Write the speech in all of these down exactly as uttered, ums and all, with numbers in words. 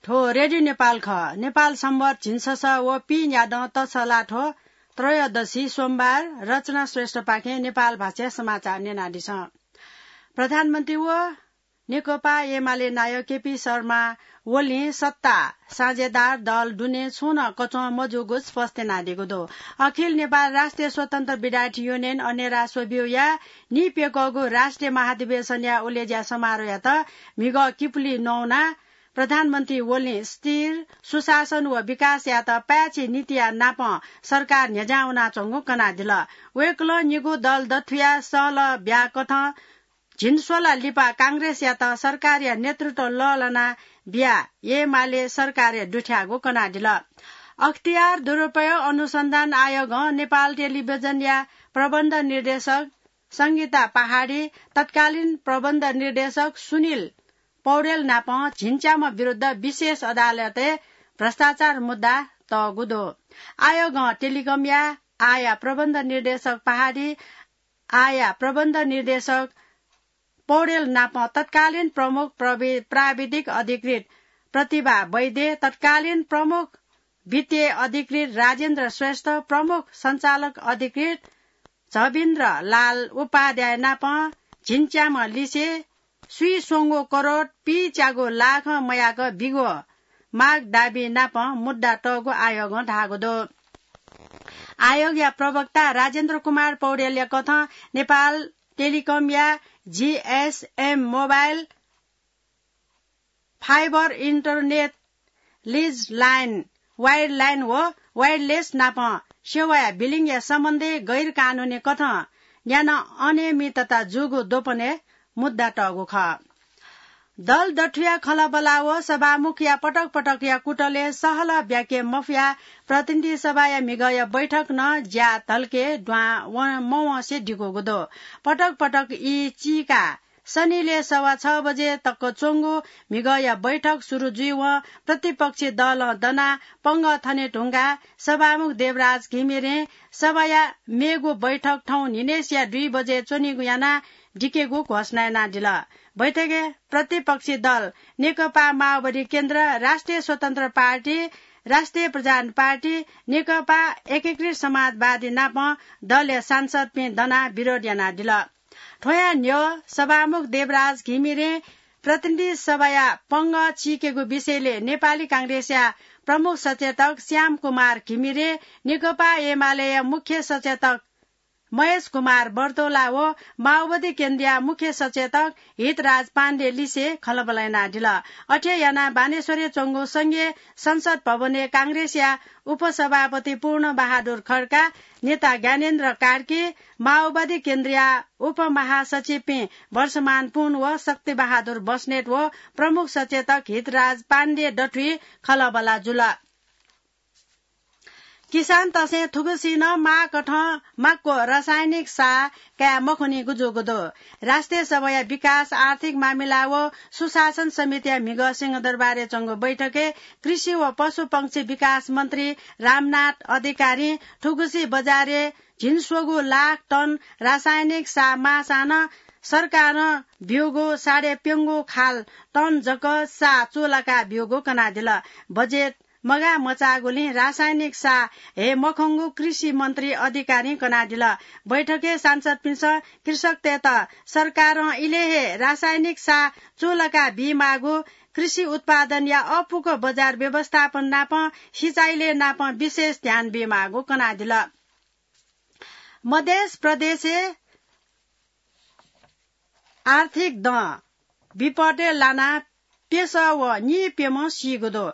थ्व रेडियो नेपाल खः। नेपाल सम्बत झिंछसः व पीन्यादँ तछलाथ्व त्रयोदशी सोमबार। रचना श्रेष्ठपाखें नेपाल भाषाया समाचार न्यनादिसँ। प्रधानमन्त्री व नेकपा एमाले नायः केपी शर्मा ओलीं सत्ता साझेदार दल दुने छुं नं कच्वं मजूगु स्पष्ट यानादीगु दु। अखिल नेपाल राष्ट्रिय स्वतन्त्र विद्यार्थी युनियन अनेरा स्वब्यूया नीप्यकःगु राष्ट्रिय महाधिवेशनया उलेज्या समारोहयात म्हिगः किपुली नवाना प्रधानमन्त्री ओलीं स्थिर सुशासन व विकासयात पाय्छि नीतिया नापं सरकार न्ह्यज्यां वनाच्वंगु कनादिल। वय्कलं निगू दल दथुया सहलह ब्याकथं झिंस्वला लिपा कांग्रेसयात सरकारया नेतृत्व लःल्हाना बिया एमाले सरकारय् दुथ्याःगु कनादिल। अख्तियार दुरुपयोग अनुसन्धान आयोगं नेपाल टेलिभिजनया प्रबन्ध निर्देशक संगीता पहाडी, तत्कालीन प्रबन्ध निर्देशक सुनिल पौडेल नाप झिंच्याम्ह विरुद्ध विशेष अदालतय् भ्रष्टाचार मुद्दा तःगु दु। आयोगं टेलिकमया आःया प्रबन्ध निर्देशक पहाडी, आःया प्रबन्ध निर्देशक पौडेल नाप तत्कालीन प्रमुख प्रवि-, प्राविधिक अधिकृत प्रतिभा वैद्य, तत्कालीन प्रमुख वित्तीय अधिकृत राजेन्द्र श्रेष्ठ, प्रमुख सञ्चालक अधिकृत झबिन्द्र लाल उपाध्याय नाप झिंच्याम्ह लिसे स्वीस्वंगू करोड पीच्यागू लाखं मयाक बिग्वः माग दाबी नाप मुद्दा तःगु आयोगं धाःगु दु। आयोगया प्रवक्ता राजेन्द्र कुमार पौडेलया कथं नेपाल टेलिकमया GSM mobile, fibre internet, lease line, wireline व वायरलेस नाप सेवाया बिलिङया सम्बन्धय् गैरकानुनी कथं न्यान्हु अनियमितता जूगु द्वपनय् मुद्दा तःगु खः। दल दथुया खँल्हाबल्हा व सभामुखया पटक पटकया कुतलय् सहलह ब्याके मफया प्रतिनिधि सभाया म्हिगःया बैठक नं ज्या धलके द्वां व-, मवंसे दिकूगु दु। पटक पटक ई चीका सनिलय् सवा छ बजे तक च्वंगु म्हिगःया बैठक सुरु जुइवं प्रतिपक्षी दलं दनाः पंगः थने धुंकाः सभामुख देवराज घिमिरें सभाया मेगु बैठक थौं न्हिनय्सिया दुई बजे च्वनीगु यानाः दिकेगु घोषणा यानादिल। बैठकय् प्रतिपक्षी दल नेकपा माओवादी केन्द्र, राष्ट्रिय स्वतन्त्र पार्टी, राष्ट्रिय प्रजातन्त्र पार्टी, नेकपा एकीकृत समाजवादी नाप दलया सांसदपिं दनाः विरोध यानादिल। थ्वया न्ह्यः सभामुख देवराज घिमिरें प्रतिनिधि सभाया पंगः चीकेगु विषयले नेपाली कांग्रेसया प्रमुख सचेतक श्याम कुमार घिमिरे, नेकपा एमालेया मुख्य सचेतक महेश कुमार बर्तोला व माओवादी केन्द्रया मुख्य सचेतक हितराज पाण्डे लिसे खँल्हाबल्हा यानादिल। अथे यानाः बानेश्वरय् च्वंगु संघीय संसद भवनय् कांग्रेसया उपसभापति पूर्ण बहादुर खड्का, नेता ज्ञानेन्द्र कार्की, माओवादी केन्द्रया उपमहासचिवपिं वर्षमान पुन व शक्ति बहादुर बस्नेत व प्रमुख सचेतक हितराज पाण्डे दथुइ खँल्हाबल्हा जुल। किसानतय्सं थुगुसी नं माःकथं माक्व रासायनिक साः काये मखनीगु जूगु दु। राष्ट्रिय सभाया विकास, आर्थिक मामिला व सुशासन समितिया म्हिगः सिंहदरबारय् च्वंगु बैठकय् कृषि व पशुपक्षी विकास मन्त्री रामनाथ अधिकारीं थुगुसी बजारय् झिंस्वगू लाख टन रासायनिक साः माःसां नं सरकारं ब्यूगु साढे प्यंगू खाल टन जक साः चूलाका ब्यूगु कनादिल। बजेट मगाः मचाःगुलिं रासायनिक साः हये मखंगु कृषि मन्त्री अधिकारीं कनादिल। बैठकय् सांसदपिन्सं कृषकतय्त सरकारं इलय् हे रासायनिक साः चूलाका बीमाःगु, कृषि उत्पादनया अःपुक बजार व्यवस्थापन नाप सिँचाइलय् नाप विशेष ध्यान बीमाःगु कनादिल। मधेस प्रदेशय् आर्थिक दँ विपदय् लानाः प्यसः व नीप्यम्ह सीगु दु।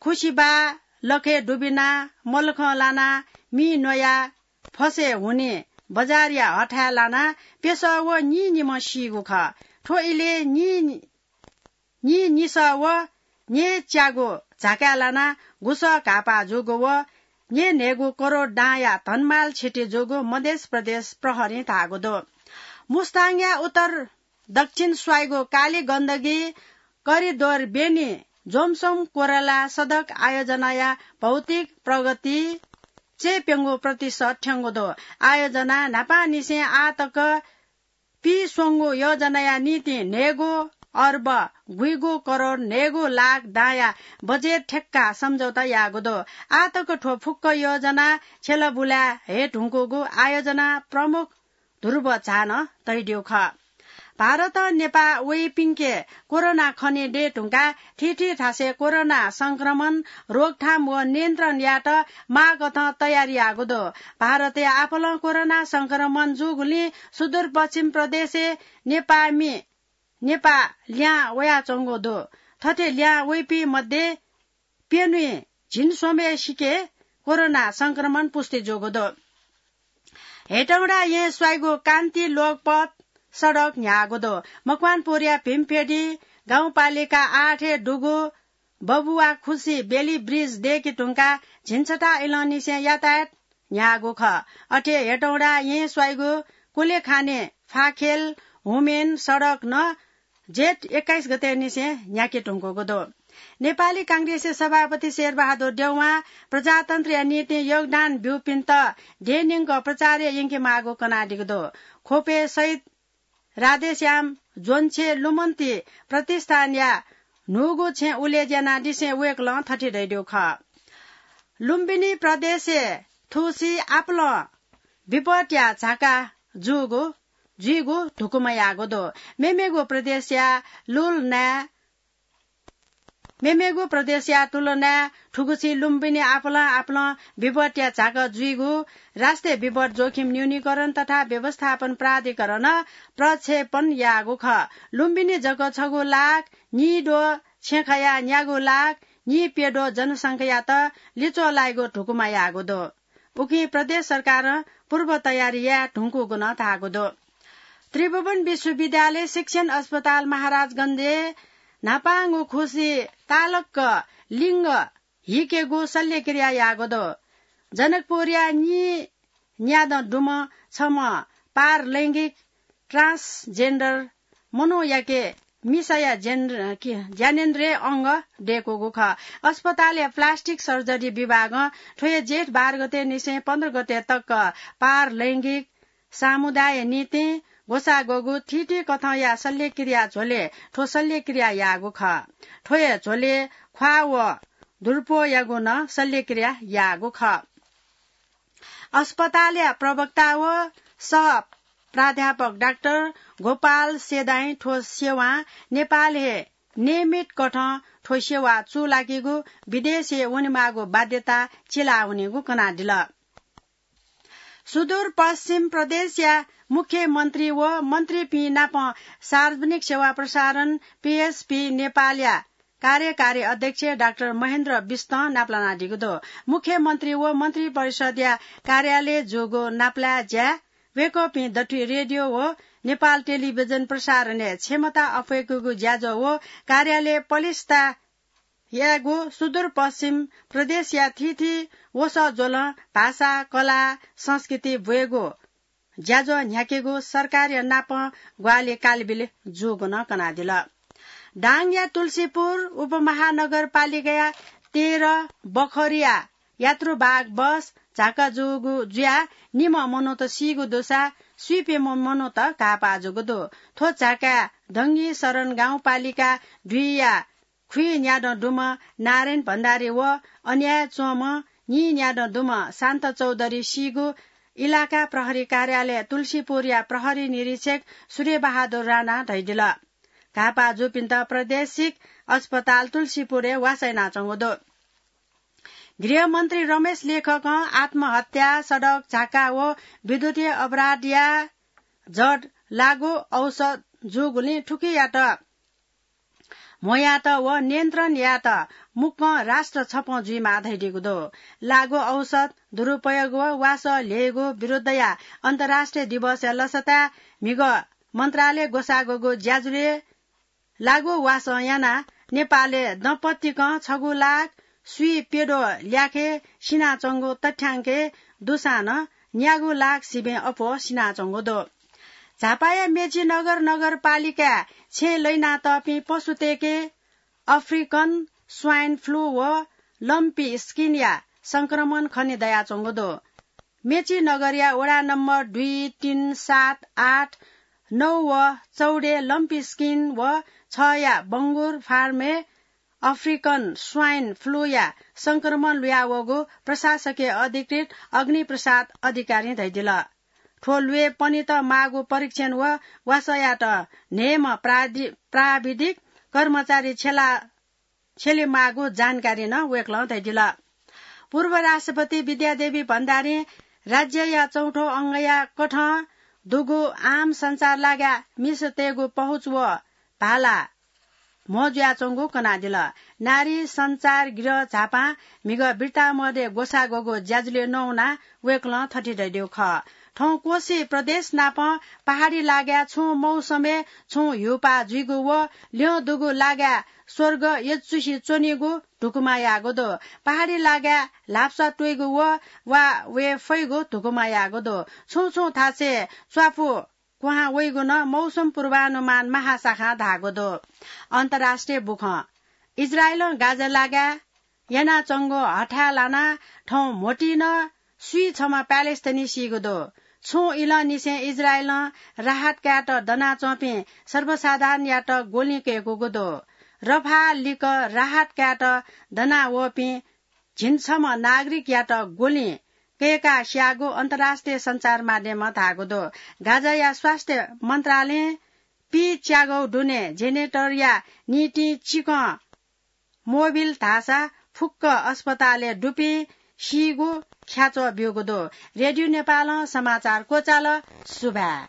खुसिबाः लखय् दुबिनाः मलखं लानाः मि न्वयाः फसय् हुने बजारया हथाय् लानाः प्यसः व नीनिम्ह सीगु खः। थ्व इलय् नी नीनिसः व न्येच्यागु झाकाय् लानाः गुसः घाःपाः जूगु व न्येन्हय्गू करोड दांया धनमाल क्षति जूगु मधेस प्रदेश प्रहरीं धाःगु दु। मुस्ताङया उत्तर दक्षिण स्वाइगु काली गण्डकी करिडोर ब्यनी जोमसोम कोराला सडक आयोजनाया भौतिक प्रगति चय्प्यंगू प्रतिशत थ्यंगु दु। आयोजना न्हापांनिसें आः तक पीस्वंगू योजनाया निंतिं न्हय्गू अर्ब गुइगु करोड न्हय्गू लाख दांया बजेट ठेक्का सम्झौता याःगु दु। आः तक थ्व फुक्क योजना छ्यलाबुलाय् हे धुंकूगु आयोजना प्रमुख ध्रुव झां धयादीगु खः। भारतं नेपाः वइपिंके कोरोना खनेदये धुंकाः थीथी थासय् कोरोना संक्रमण रोकथाम व नियन्त्रण यायेत माःकथं तयारी याःगु दु। भारतय् आपालं कोरोना संक्रमण जूगुलिं सुदूरपश्चिम प्रदेशय् नेपाःमि नेपाः लिहां वयाच्वंगु दु। थथे लिहां वइपिं मध्ये प्यन्हुइ झिंस्वम्हय्सिके कोरोना संक्रमण पुष्टि जूगु दु। हेटौंडा येँ स्वाइगु कान्ति लोकपथ सडक न्ह्याःगु दु। मकवानपुरया भीमफेदी गाउँपालिका आठय् दुगु बबुवाखुसी बेली ब्रिज दय्के धुंकाः झिंछता इलंनिसें यातायात न्ह्याःगु खः। अथे हेटौंडा येँ स्वाइगु कुलेखाने फाखेल हुमेन सडक नं जेठ एक्काइस गतेनिसें न्ह्याके धुंकूगु दु। नेपाली कांग्रेसया सभापति शेरबहादुर देउवां प्रजातन्त्रया निंतिं योगदान ब्यूपिन्त देय् न्यंक प्रचारय् यंकेमाःगु कनादीगु दु। ख्वपय् शहीद राधेश्याम ज्वंछेँ लुमन्ति प्रतिष्ठानया न्हूगु छेँ उलेज्या यानादिसें वय्कलं थथे धयादीगु खः। लुम्बिनी प्रदेशय् थुगुसी आपालं विपदया झाका जूगु, जुइगु धुकुमा याःगु दु। मेमेगु प्रदेशया लुल नाय् मेमेगु प्रदेशया तुलनाय् थुगुसी लुम्बिनी आपालं आपालं विपदया झाका जुइगु राष्ट्रिय विपद जोखिम न्यूनीकरण तथा व्यवस्थापन प्राधिकरणं प्रक्षेपण याःगु खः। लुम्बिनी जक छगू लाख नीद्वः छेँ खयाः न्यागू लाख नीप्यद्वः जनसंख्यायात लिच्वः लाइगु धुकुमा याःगु दु। उकिं प्रदेश सरकारं पूर्व तयारी याये धुंकूगु नं धाःगु दु। त्रिभुवन विश्वविद्यालय शिक्षण अस्पताल महाराजगंजय् न्हापांगु खुसी तालक्क लिङ्ग हिकेगु शल्यक्रिया याःगु दु। जनकपुरया नीन्यादँ दुम्ह छम्ह पारलैंगिक transgender मनूयाके मिसाया जेन-, कि-, ज्ञानेन्द्रिय अंग दय्कूगु खः। अस्पतालया plastic surgery विभागं थ्व हे जेठ बाह्र गतेनिसें पन्ध्र गते तक पारलैंगिक समुदायया निंतिं ग्वसाः ग्वःगु थीथी कथंया शल्यक्रिया झ्वलय् थ्व शल्यक्रिया याःगु खः। थ्व हे झ्वलय् ख्वाः व दुरुपयोगयागु नं शल्यक्रिया याःगु खः। अस्पतालया प्रवक्ता व सह प्राध्यापक डाक्टर गोपाल सेदाइं थ्व सेवां नेपालय् हे नियमित कथं थ्व सेवा चूलाकेगु विदेशय् वनेमाःगु बाध्यता चिलावनीगु कनादिल। सुदूरपश्चिम प्रदेशया मुख्यमन्त्री व मन्त्रीपिं नाप सार्वजनिक सेवा प्रसारण, पीएसपी, नेपालया कार्यकारी अध्यक्ष डाक्टर महेन्द्र विष्टं नापलानादीगु दु। मुख्यमन्त्री व मन्त्रिपरिषद्या कार्यालय जूगु नापलाये ज्याय् वय्कःपिं दथुइ रेडियो व नेपाल टेलिभिजन प्रसारणय् क्षमता अप्वय्केगु ज्याझ्वः व कार्यालय पलिस्था यायेगु, सुदूरपश्चिम प्रदेशया थीथी वसः ज्वलं भाषा, कला, संस्कृति ब्वयेगु ज्याझ्वः न्ह्याकेगु सरकारया नाप ग्वाहालि कालबिल जूगु नं कनादिल। दाङया तुलसीपुर उपमहानगरपालिकाया तेह्र बखरिया यात्रुवाहक बस झाका जूगु जुयाः निम्ह मनूत सीगु दुसा स्वीप्यम्ह मनूत घाःपाः जूगु दु। थ्व झाकाय् दंगी शरण गाउँपालिका दुईया खुइन्यादँ दुम्ह नारायण भण्डारी व अन्याय् च्वंम्ह नीन्यादँ दुम्ह शान्त चौधरी सीगु इलाका प्रहरी कार्यालय तुलसीपुरया प्रहरी निरीक्षक सूर्यबहादुर राणां धयादिल। घाःपाः जूपिन्त प्रादेशिक अस्पताल तुलसीपुरय् वासः यानाच्वंगु दु। गृहमन्त्री रमेश लेखकं आत्महत्या, सडक झाका व विद्युतीय अपराधया जड लागू औषध जूगुलिं थुकियात म्हो यायेत व नियन्त्रण यायेत मुक्कं राष्ट्र छपं जुइमाः धयादीगु दु। लागू औषध दुरुपयोग व वासः ल्ह्यइगु विरुद्धया अन्तर्राष्ट्रिय दिवसया लसताय् म्हिगः मन्त्रालयं ग्वसाः ग्वःगु ज्याझ्वलय् लागू वासः यानाः नेपालय् दँपतिकं छगू लाख स्वीप्यद्वः ल्याखय् सिनाच्वंगु तथ्याङ्कय् दुसां नं न्यागू लाख सिबें अप्वः सिनाच्वंगु दु। झापाया मेचीनगर नगरपालिकाय् छेँय् लहिनातःपिं पशुतय्के African Swine Flu व Lumpy Skin या संक्रमण खने दयाच्वंगु दु। मेचीनगरया वडा नम्बर दुई, तीन, सात, आठ नौ व चौडे लम्पी स्किन व छया बंगुर फार्मय् अफ्रिकन स्वाइन फ्लूया संक्रमण लुयावःगु प्रशासकीय अधिकृत अग्निप्रसाद अधिकारीं धयादिल। थ्व ल्वय् पनित माःगु परीक्षण व वासःयात न्हय्म्ह प्रादि-, प्राविधिक कर्मचारी छ्यला छ्यलेमाःगु जानकारी नं वय्कलं धयादिल। पूर्व राष्ट्रपति विद्यादेवी भण्डारीं राज्यया चौथो अंगया कथं दुगु आम सञ्चार लागाय् मिसातय्गु पहुँच व भाला म्हो जुयाच्वंगु कनादिल। नारी सञ्चार गृह झापां म्हिगः बिर्तामोधय् ग्वसाः ग्वःगु ज्याझ्वलय् नवानाः वय्कलं थथे धयादीगु खः। थौं कोशी प्रदेश नाप पहाडी लागाय् छुं मौसमय् छुं ह्यूपाः जुइगु व ल्यं दुगु लागाय् स्वर्ग यचुसे च्वनीगु धुकुमा याःगु दु। पहाडी लागाय् ल्हापसा त्वइगु व वा वये फइगु धुकुमा याःगु दु। छुं छुं थासय् च्वापु क्वहां वइगु नं मौसम पूर्वानुमान महाशाखां धाःगु दु। अन्तर्राष्ट्रिय बुखँ। इजरायलं गाजा लागाय् यानाच्वंगु हथाय् लानाः थौं म्होतिइ नं स्वीछम्ह प्यालेस्टाइनी सीगु दु। छुं इलंनिसें इजरायलं राहत कायेत दनाच्वंपिं सर्वसाधारणयात ग्वलिं कय्कूगु दु। रफाह लिक्क राहत कायेत दनावःपिं झिंछम्ह नागरिकयात ग्वलिं कय्काः स्याःगु अन्तर्राष्ट्रिय सञ्चार माध्यमं धाःगु दु। गाजाया स्वास्थ्य मन्त्रालयं पीच्यागौ दुने जेनेरेटरया निंतिं चिकं मोबिल धाःसा फुक्क अस्पतालय् दुपिं सीगु ख्याच्वः ब्यूगु दु। रेडियो नेपालं समाचार क्वचाल। सुभाय्।